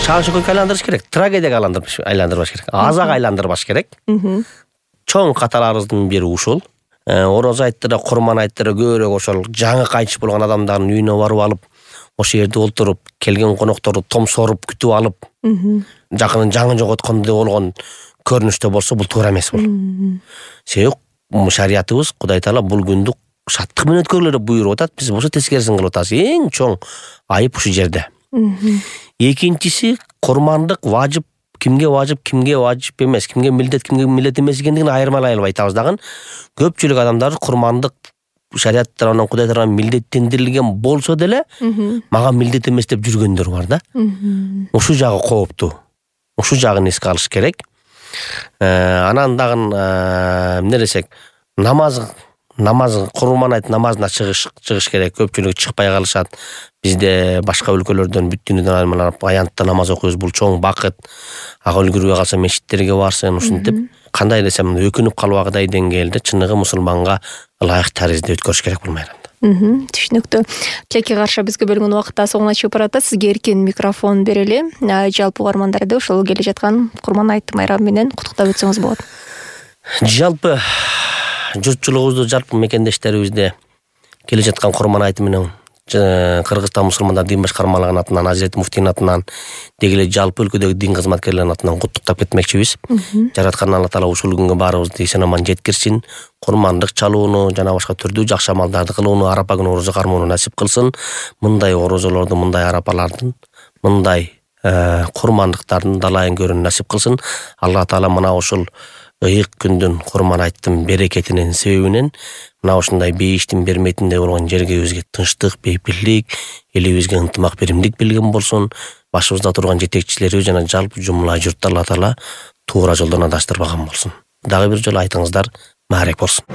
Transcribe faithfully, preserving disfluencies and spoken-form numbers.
шаң шөкөккө айландырыш керек, трагедияга айландырбаш керек, азага айландырбаш керек. Чоң каталарыбыздын бири ушул. Ороз айттыра, Курман айттыра көбүрөөк ошол жаңы кайтыш болгон адамдардын үйүнө барып алып, ошол жерде олтуруп, келген конокторду томсоруп күтүп алып, жакынын жаңы жоготкондой болгон көрүнүштө болсо бул туура эмес бул. Себеби шариятыбыз Кудай Таала бул күндү шаттык менен өткөргүлө деп буйруп атат. Биз болсо тескерисин кылып атабыз. Эң чоң айып ушул жерде. Экинчиси, курмандык важып, кимге важып, кимге важып эмес, кимге милдет, кимге милдет эмес экендигин айырмалай албай атабыз дагы. Көпчүлүк адамдар курмандык шарият тарабынан Кудай тарабынан милдеттендирилген болсо деле, мага милдет эмес деп жүргөндөр бар да. Ушул жагы кооптуу. Ушул жагын эске алыш керек. Анан дагы эмне десек, намаз намаз Курман айт намазына чыгыш чыгыш керек. Көпчүлүк чыкпай калышат. Бизде башка өлкөлөрдөн бүт дүйнөдөн аймалап аянтта намаз окуйбуз. Бул чоң бакыт. Ага үлгүрбөй калса мечиттерге барсын, ушинтип кандай десем, өкүнүп калбагыдай деңгээлде чыныгы мусулманга ылайык таризде өткөрүш керек бул майрамды. Түшүнүктүү. Тилекке каршы бизге бөлүнгөн убакытта соңуна чыгып баратат. Сизге эркин микрофон берели. Жалпы угармандарды ошол келе жаткан Курман айт майрамы менен куттуктап өтсөңүз болот. Жалпы журтчулугубузду, жалпы мекендештерибизде келе жаткан Курман айты менен Кыргызстан мусулмандар дин башкармалыгынын атынан, Азирет муфтийдин атынан, деги эле жалпы өлкөдөгү дин кызматкерлеринин атынан куттуктап кетмекчибиз. Жараткан Алла Таала ушул күнгө баарыбызды эсен аман жеткирсин. Курмандык чалууну жана башка түрдүү жакшы амалдарды кылууну, арапа күнү орозо кармоону насип кылсын. Мындай орозолорду, мындай арапалардын, мындай курмандыктардын далайын көрүүнү насип кылсын. Алла Таала мына ушул ыйык күндүн Курман айттын берекетинин себебинен мына ушундай бейиштин берметиндей болгон жергебизге тынчтык, бейпилдик, элибизге ынтымак, биримдик билген болсун. Башыбызда турган жетекчилерибиз жана жалпы жумла журтты Алла Таала туура жолдон адаштырбаган болсун. Дагы бир жолу айтыңыздар маарек болсун.